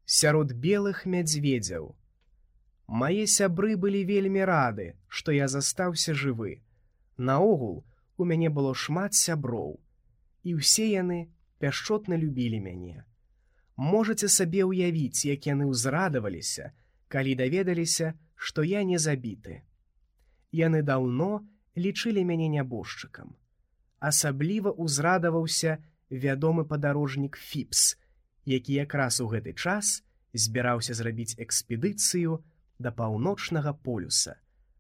сярод белых мядзведзяў. Мае сябры былі вельмі рады, што я застаўся жывы. Наогул, у мяне было шмат сяброў, і ўсе яны пяшчотна любілі мяне. Можаце сабе ўявіць, як яны ўзрадаваліся, калі даведаліся, што я не забіты. Яны даўно лічылі мяне нябожчыкам. Асабліва ўзрадаваўся вядомы падарожнік Фіпс, які якраз у гэты час збіраўся зрабіць экспедыцыю да паўночнага полюса.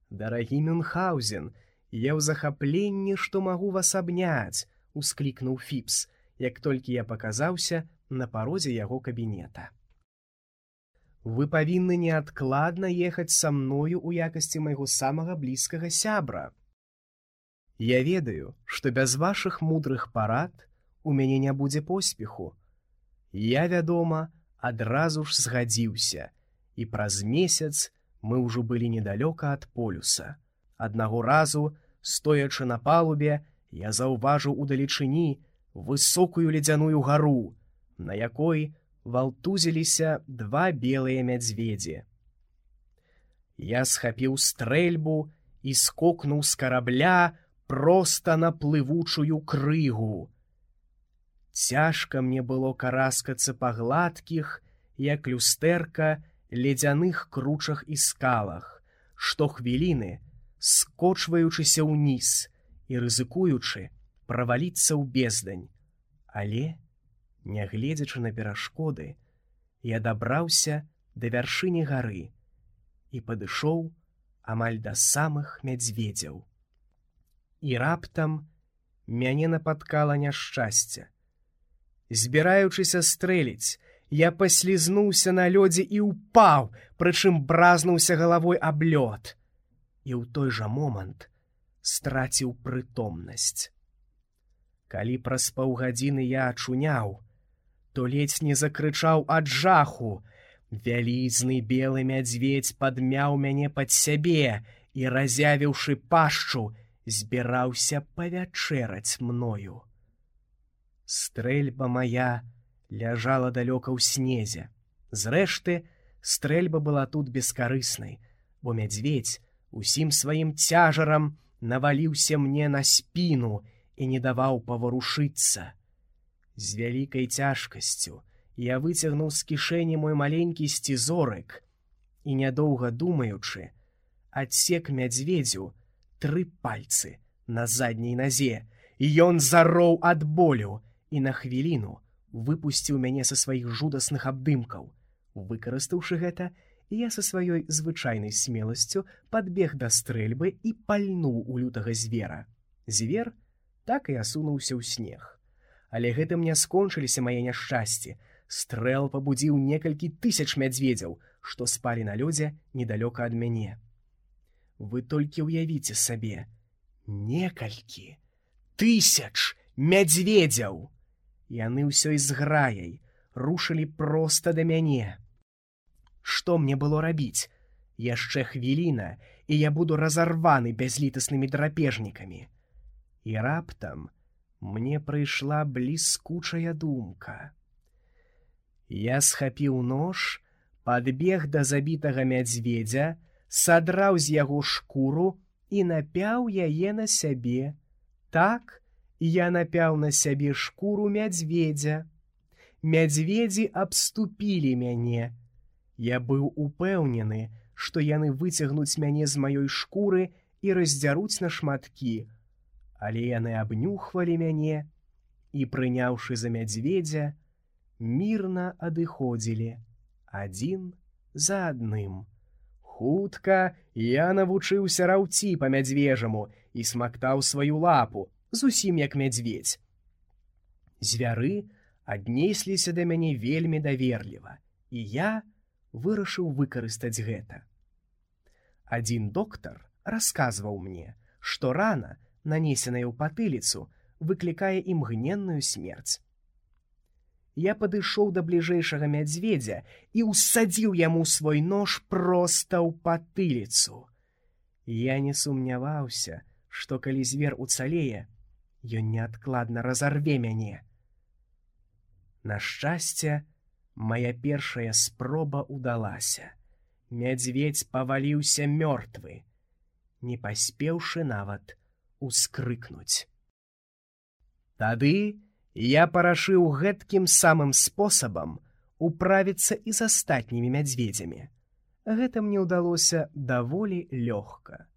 «Дарагі Мюнхгаузен, я ў захапленні, што магу вас абняць», — усклікнуў Фіпс, як толькі я паказаўся на парозе яго кабінета. «Вы павінны неадкладна ехаць са мною ў якасці майго самага блізкага сябра. Я ведаю, што без вашых мудрых парад у мяне не будзе поспеху. Я, вядома, адразу ж згадзіўся, і праз месяц мы ўжо былі недалёка ад полюса. Аднаго разу, стоячы на палубе, я заўважыў удалечыні высокую ледзяную гару, на якой валтузіліся два белыя мядзведзі. Я схапіў стрэльбу і скокнуў з карабля проста на плывучую крыгу. Цяжка мне было караскацца па гладкіх, як люстэрка, ледзяных кручах і скалах, штохвіліны скочваючыся ўніз і рызыкуючы праваліцца ў бездань. Але, нягледзячы на перашкоды, я дабраўся да вяршыні гары і падышоў амаль да самых мядзведзяў. І раптам мяне напаткала няшчасце. Збіраючыся стрэліць, я паслізнуўся на лёдзе і ўпаў, прычым бразнуўся галавой аб лёд. І ў той жа момант страціў прытомнасць. Калі праз паўгадзіны я ачуняў, то ледзь не закрычаў ад жаху. Вялізны белы мядзведзь падмяў мяне пад сябе і, разявіўшы пашчу, збіраўся павячэраць мною. Стрэльба мая ляжала далёка ў снезе. Зрэшты, стрэльба была тут бескарыснай, бо мядзведзь усім сваім цяжарам наваліўся мне на спіну і не даваў паварушыцца. З вялікай цяжкасцю я выцягнуў з кішэні мой маленькі сцізорык і, нядоўга думаючы, адсек мядзведзю 3 пальцы на задняй назе, і ён зароў ад болю і на хвіліну выпусціў мяне са сваіх жудасных абдымкаў. Выкарыстаўшы гэта, я са сваёй звычайнай смеласцю падбег да стрэльбы і пальнуў у лютага звера. Звер так і асунуўся ў снег. Але гэтым не скончыліся мае няшчасці. Стрэл пабудзіў некалькі тысяч мядзведзяў, што спалі на лёдзе недалёка ад мяне. Вы толькі ўявіце сабе, некалькі тысяч мядзведзяў! Яны ўсёй зграяй рушылі проста да мяне. Што мне было рабіць? Яшчэ хвіліна, і я буду разарваны бязлітаснымі драпежнікамі. І раптам мне прыйшла бліскучая думка. Я схапіў нож, падбег да забітага мядзведзя, садраў з яго шкуру і напяў яе на сябе. Так, я напяў на сябе шкуру мядзведзя. Мядзведзі абступілі мяне. Я быў упэўнены, што яны выцягнуць мяне з маёй шкуры і раздзяруць на шматкі. Але яны абнюхвалі мяне і, прыняўшы за мядзведзя, мірна адыходзілі адзін за адным. Хутка я навучыўся раўці па мядзвежаму і смактаў сваю лапу, зусім як мядзведзь. Звяры аднесліся да мяне вельмі даверліва, і я вырашыў выкарыстаць гэта. Адзін доктар расказваў мне, што рана, нанесеная ў патыліцу, выклікае імгненную смерць. Я падышоў да бліжэйшага мядзведзя і ўссадзіў яму свой нож проста ў патыліцу. Я не сумняваўся, што калі звер уцалее, ён неадкладна разарве мяне. На шчасце, Мая першая спроба ўдалася. Мядзведзь паваліўся мёртвы, не паспеўшы нават ускрыкнуць. Тады я парашыў гэткім самым спосабам управіцца і з астатнімі мядзведзямі. Гэта мне ўдалося даволі лёгка.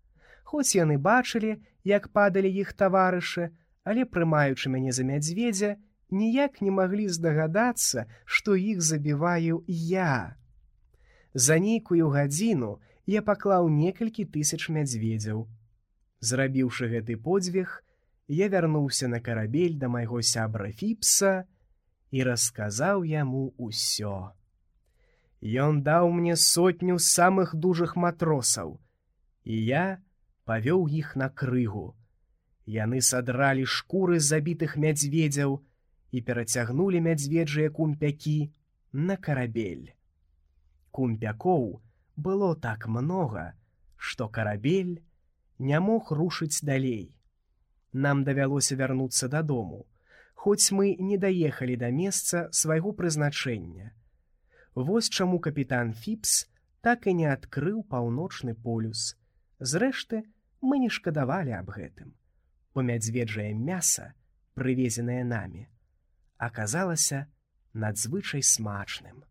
Хоць яны бачылі, як падалі іх таварышы, але, прымаючы мяне за мядзведзя, ніяк не маглі здагадацца, што іх забіваю я. За нейкую гадзіну я паклаў некалькі тысяч мядзведзяў. Зрабіўшы гэты подзвіг, я вярнуўся на карабель да майго сябра Фіпса і расказаў яму ўсё. Ён даў мне 100 самых дужых матросаў, і я павёў іх на крыгу. Яны садралі шкуры забітых мядзведзяў і перацягнулі мядзведжыя кумпякі на карабель. Кумпякоў было так многа, што карабель не мог рушыць далей. Нам давялося вярнуцца дадому, хоць мы не даехалі да месца свайго прызначэння. Вось чаму капітан Фіпс так і не адкрыў паўночны полюс. Зрэшты, мы не шкадавалі аб гэтым, бо мядзведжае мяса, прывезенае намі, аказалася надзвычай смачным.